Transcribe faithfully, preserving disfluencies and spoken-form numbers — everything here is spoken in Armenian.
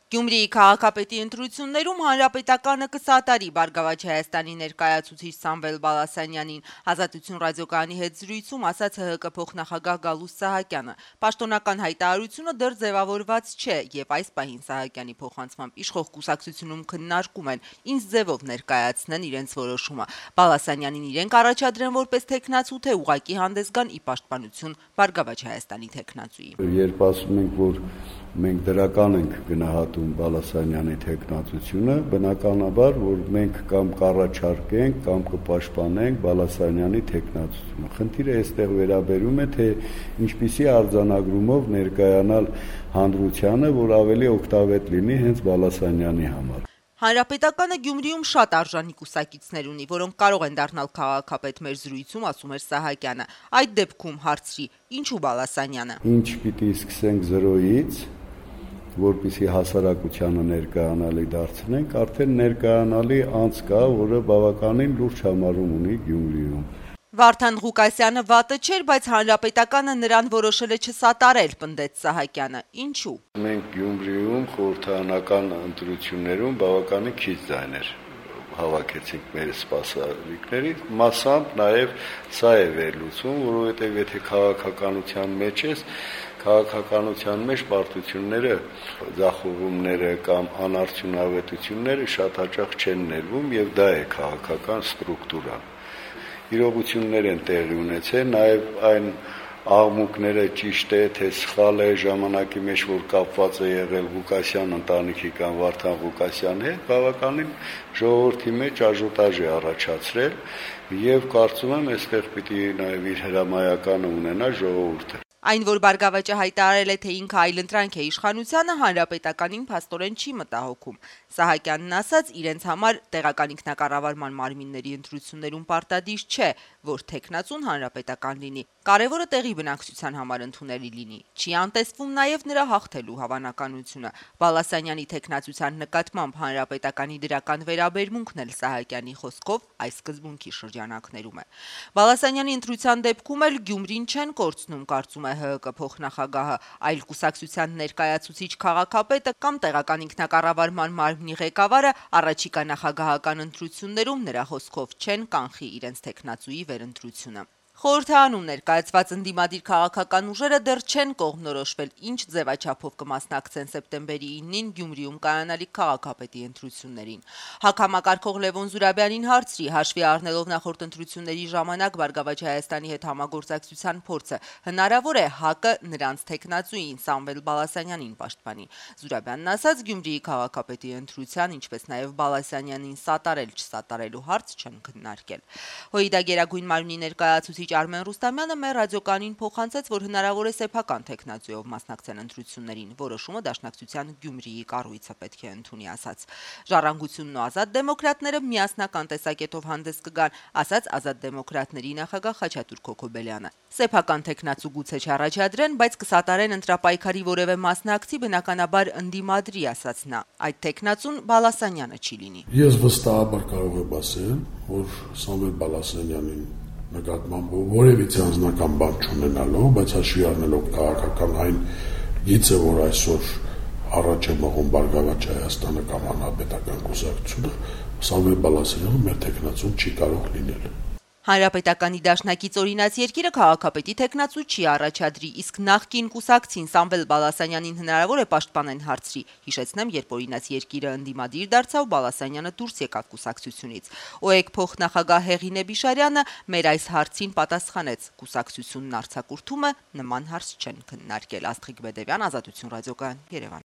Գյումրիի քաղաքապետի ընտրություններում հանրապետականը կսատարի Բարգավաճ Հայաստանի ներկայացուցիչ Սամվել Բալասանյանին, Ազատություն ռադիոկայանի հետ զրույցում ասաց ՀՀԿ փոխնախագահ Գալուստ Սահակյանը։ Պաշտոնական հայտարարությունը դեռ ձևավորված չէ, եւ այս պահին Սահակյանի փոխանցմամբ իշխող կուսակցությունում քննարկում են, ինչ ձևով ներկայացնեն իրենց որոշումը։ Բալասանյանին իրենք առաջադրեն որպես թեկնածու, թե ուղղակի հանդես գան ի պաշտպանություն Բարգավաճ Հայաստանի թեկնածուի։ Երբ ասում ենք, որ մենք դրական ենք գնահատում Բալասանյանի թեկնածությունը, բնականաբար, որ մենք կամ կառաջարկենք, կամ կպաշտպանենք Բալասանյանի թեկնածությունը։ Խնդիրը այստեղ վերաբերում է, թե ինչպիսի արձանագրումով ներկայանալ հանրությանը, որ ավելի օգտավետ լինի հենց Բալասանյանի համար։ Հանրապետականը Գյումրիում շատ արժանի կուսակիցներ ունի, որոնք կարող են դառնալ քաղաքապետ մեր զրույցում, ասում էր Սահակյանը։ Այդ դեպքում հարցրի, ինչու Բալասանյանը։ Ինչ պիտի սկսենք զրոյից, որպեսզի հասարակությանը ներկայանալի դարձնենք, արդեն ներկայանալի անց կա, որը բավականին լուրջ համարում ունի Գյումրիում։ Վարդան Ղուկասյանը վատը չէր, բայց հանրապետականը նրան որոշել է չսատարել, պնդեց Սահակյանը։ Ինչու։ Մենք Գյումրիում խորհրդարանական ընտրություններում բավականին քիչ ձայներ հավաքեցինք մեր սպասարկներից, մասամբ նաև սա է վերլուծում, որովհետև եթե քաղաքականության մեջ ես, քաղաքականության մեջ պարտությունները, ձախողումները կամ անարդյունավետությունները շատ հաճախ չեն ներվում, եւ դա է քաղաքական ստրուկտուրան։ Իրողություններ են տեղի ունեցել, նաև այն աղմուկները ճիշտ է, թե սխալ է ժամանակի մեջ, որ կապված է եղել Ղուկասյան ընտանիքի կամ Վարդան Ղուկասյանի հետ, բավականին ժողովրդի մեջ աժոտաժ է առաջացրել, եւ կարծում եմ, այստեղ պիտի նաև իր հրամայականը ունենա ժողովուրդը։ Այն, որ Բարգավաճը հայտարարել է, թե ինքը այլընտրանք է իշխանությանը, հանրապետականին փաստորեն չի մտահոգում։ Սահակյանն ասաց, իրենց համար տեղական ինքնակառավարման մարմինների ընտրություններում պարտադիր չէ, որ թեկնածուն հանրապետական լինի։ Կարևորը տեղի բնակչության համար ընդունելի լինի։ Չի անտեսվում նաև նրա հաղթելու հավանականությունը։ Բալասանյանի թեկնածության նկատմամբ հանրապետականի դրական վերաբերմունքն էլ Սահակյանի խոսքով այս սկզբունքի շրջանակներում է։ Բալասանյանի ընտրության դեպքում էլ Գյումրին չեն կորցնում, կարծում է ՀՀԿ փոխնախագահը, այլ կուսակցության ներկայացուցիչ քաղաքապետը կամ տեղական ինքնակառավարման մարմնի ղեկավարը առաջիկա նախագահական ընտրություններում նրա խոսքով չեն կանխի իրենց թեկնածուի վերընտրությունը։ Խորհրդարանում ներկայացված ընդդիմադիր քաղաքական ուժերը դեռ չեն կողմնորոշվել, ինչ ձևաչափով կմասնակցեն սեպտեմբերի իննին Գյումրիում կայանալիք քաղաքապետի ընտրություններին։ Հակամակարգող Լևոն Զուրաբյանին հարցրի, հաշվի առնելով նախորդ ընտրությունների ժամանակ Բարգավաճ Հայաստանի հետ համագործակցության փորձը, հնարավոր է ՀԱԿ-ը նրանց թեկնածուին Սամվել Բալասանյանին պաշտպանի։ Զուրաբյանն ասաց, Գյումրիի քաղաքապետի ընտրության, ինչպես նաև Բալասանյանին սատարել-չսատարելու հարց չեն քննարկել։ ՀՅԴ Գերագույն մարմնի ներկայացուցիչ Արմեն Ռուստամյանը մեր ռադիոկայանին փոխանցեց, որ հնարավոր է սեփական թեկնածուով մասնակցեն ընտրություններին։ Որոշումը Դաշնակցության Գյումրիի կառույցը պետք է ընդունի, ասաց։ Ժառանգությունն ու Ազատ դեմոկրատները միասնական տեսակետով հանդես կգան, ասաց Ազատ դեմոկրատների նախագահ Խաչատուր Քոքոբելյանը։ Սեփական թեկնածու գուցե չառաջադրեն, բայց կսատարեն ընտրապայքարի որևէ մասնակցի, բնականաբար ընդդիմադրի, ասաց նա։ Այդ թեկնածուն Բալասանյանը չի լինի։ Ես վստահաբար կարող եմ ասել, որ Սամվել Բալասանյանին նկատմամբ որևիցե անձնական բան չունենալով, բայց հաշվի առնելով քաղաքական այն գիծը, որ այսօր առաջ է մղում Բարգավաճ Հայաստանը կամ հանրապետական կուսակցությունը, Սամվել Բալասանյանը մեր թեկնածուն չի կարող լինել։ Հանրապետականի դաշնակից օրինաց երկիրը քաղաքապետի թեկնածու չի առաջադրի, իսկ նախկին կուսակցին Սամվել Բալասանյանին հնարավոր է պաշտպանեն, հարցրի։ Հիշեցնեմ, երբ օրինաց երկիրը ընդդիմադիր դարձավ, Բալասանյանը դուրս եկավ կուսակցությունից։ ՕԵԿ փոխնախագահ Հեղինե Բիշարյանը մեր այս հարցին պատասխանեց. կուսակցությունն արձակուրդումը նման հարց չեն քննարկել։ Աստղիկ Բեդևյան, Ազատություն ռադիոկայան, Երևան։